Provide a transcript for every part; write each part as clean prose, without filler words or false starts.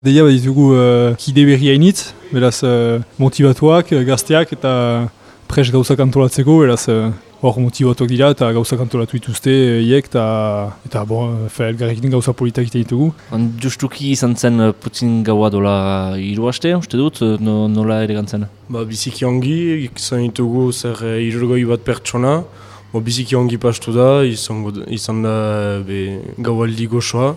Deia bat ditugu kide berri hainitz, beraz motivatuak, gazteak eta pres gauzak antolatzeko, beraz hor motivatuak dira eta gauzak antolatu dituzte hiek eta elgarrekin gauza politak egiten ditugu. Justuki izan zen putzin gaua dola 3 aste, uste dut, nola ere gantzen? Biziki ongi, izan ditugu zer 60 bat pertsona, biziki ongi pastu da, izan da gaualdi gozoa.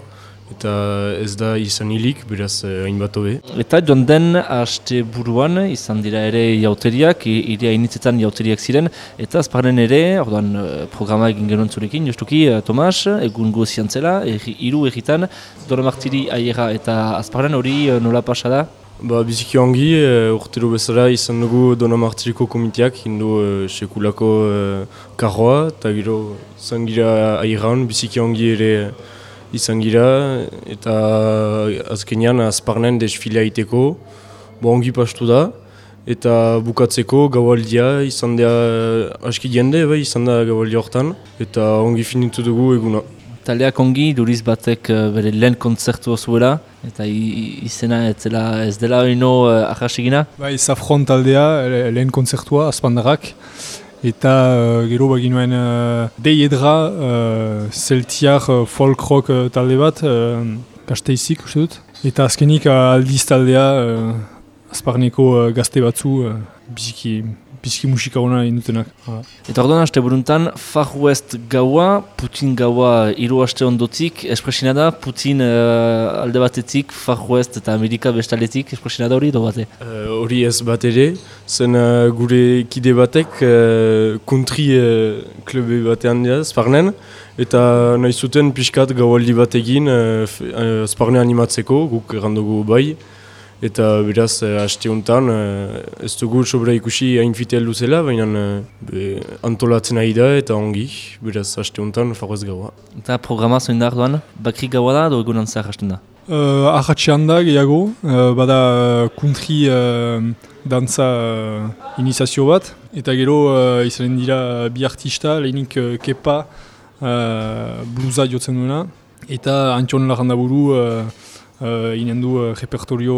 Eta ez da izan hilik, beraz hainbat hobe. Eta joan den haste buruan izan dira ere jauteriak, iria initzetan jauteriak ziren, eta azparnen ere, orduan programa egin genuen zurekin, justuki Tomas, egun gozian zela, 3 egitan, Dona Martiri aiera eta azparnen hori nola pasa da? Biziki ongi, urtero bezala izan dugu Dona Martiriko komiteak, hindu sekulako karroa, eta gero izan gira aieran, biziki ongi ere izan gira, eta azkenean azparnen desfilea iteko, ongi pastu da, eta bukatzeko gaualdia izan da aski jende, izan da gaualdia hortan, eta ongi finitu dugu eguna. Taldeak ongi, duriz batek bere lehen kontzertua zuela, eta izena ez dela ino ahasegina? Zafron taldea, lehen kontzertua, azpandarrak, eta gero baginuen deiedra zeltiar folk rock talde bat, Gasteizik uste dut. Eta azkenik aldiz taldea azparneko gazte batzu biziki musika hona indutenak. Eta orduan haste buruntan, Far West gaua, Putin gaua 3 aste ondotik, espresina da, Putin alde batetik, Far West eta Amerika bestaletik, espresina da hori edo bate? Hori ez bat ere, zen gure kide batek country klube batean dira, Azparnen, eta nahi zuten pixkat gaualdi batekin Azparne animatzeko, guk errandugu bai. Eta beraz, haste honetan, ez dugu sobra ikusi hain fite heldu zela, baina antolatzen ari da eta ongi, beraz, haste honetan, Far West gaua. Eta programa zoin da arduan, bakri gaua da, edo egunan zahar hasten da? Ahatxean da gehiago, bada country dantza iniziazio bat, eta gero izanen dira bi artista, lehenik Kepa bluza jotzen duena, eta Antion Larrandaburu inen du repertorio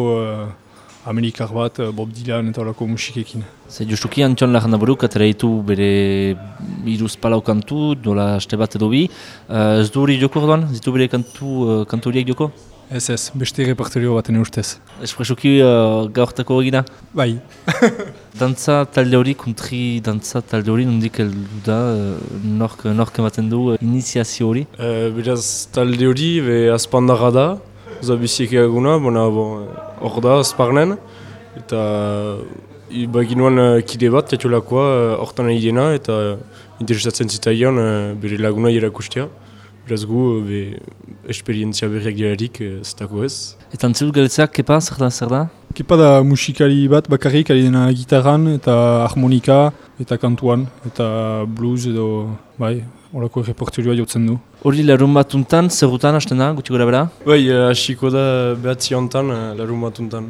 amerikar bat, Bob Dylan eta horako musikekin. Justuki Antion Larrandaburuk atera ditu bere 3-4 kantu, dola haste bat edo bi. Ez du hori joko orduan? Zitu bere kantu horiek joko? Ez, beste repertorio baten ustez. Espresuki gaurtako egina? Bai. Dantza talde hori, country dantza talde hori, nondik heldu da, nork ematen du iniziazio hori? Beraz, talde hori azpandarra da. Zabiziek eguna, hor da, Azparnen, eta baginuan kide bat, jatxolakoa, hortan nahi dena, eta interesatzen zitaion bere laguna erakustea. Beraz gu, esperientzia berriak diarik, zitako ez. Eta antzidut galetzak, Kepa, zer da? Kepa da musikari bat bakarrik, ari dena gitarran, eta harmonika, eta kantuan, eta blues edo, horako repertorioa jotzen du. Hori larun batuntan, zerrutan hasten da, guti gora bera? Hasiko da behatzi honetan, larun batuntan.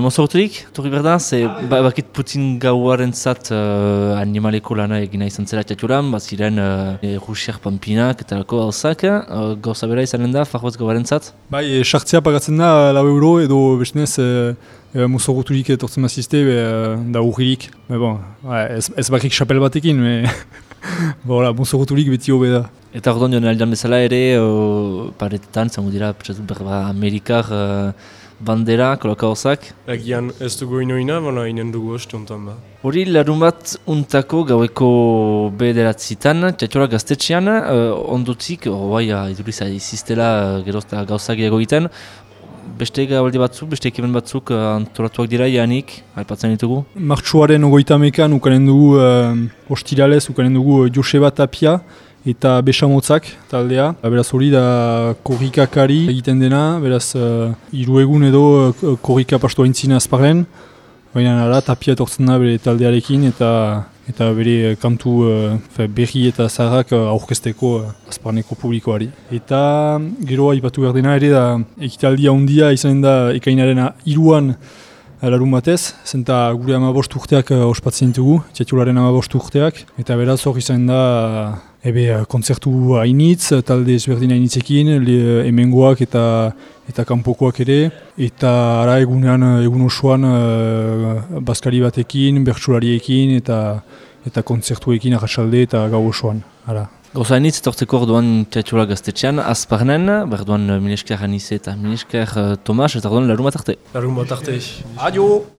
Mozorturik, torri berda, bakit Putin gauaren zat animaleko lana egina izan zela txaturan, ziren Rusiak Pampinak eta lako gauzak, gauza bera izanen da, Far West gauaren zat? Sartzea pagatzen da €4 edo bestenez mozorturik etortzen mazizte, da urririk. Ez bakrik xapel batekin, mozorturik beti hobe da. Eta orduan joan aldean bezala ere, paretetan, zango dira, Amerikar bandera, kolaka hozak. Agian ez dugu inoina, inen dugu haste honetan ba. Hori larun bat untako gaueko 9:00 txatxora gaztetxean, ondotik, iduriz iziztela gerozta gauzak egiten, beste gaualdi batzuk, beste ekimen batzuk antolatuak dira janik, aipatzen ditugu? Martxoaren 30ean ukanen dugu ostiralez, ukanen dugu Joseba Tapia, eta Besamotzak taldea. Beraz hori da korrikakari egiten dena, beraz 3 egun edo korrika pastu haintzina Azparren. Baina Tapia etortzen da bere taldearekin eta bere kantu berri eta zaharrak aurkezteko Azparneko publikoari. Eta gero aipatu behar dena ere da ekitaldia handia izanen da ekainaren 3an larun batez, zenta gure 15 urteak ospatzen ditugu, txatxolaren 15 urteak, eta beraz hor izanen da kontzertu hainitz, talde ezberdin hainitzekin, hemengoak eta kanpokoak ere, eta ara egun osoan bazkari batekin, bertsulariekin eta kontzertuekin arratsalde eta gau osoan. Gauza hainitz etortzeko orduan teatrola gaztetxean, azparnen, berduan milesker Anize eta milesker Tomas, eta orduan larun bat arte. Larun bat arte. Adio!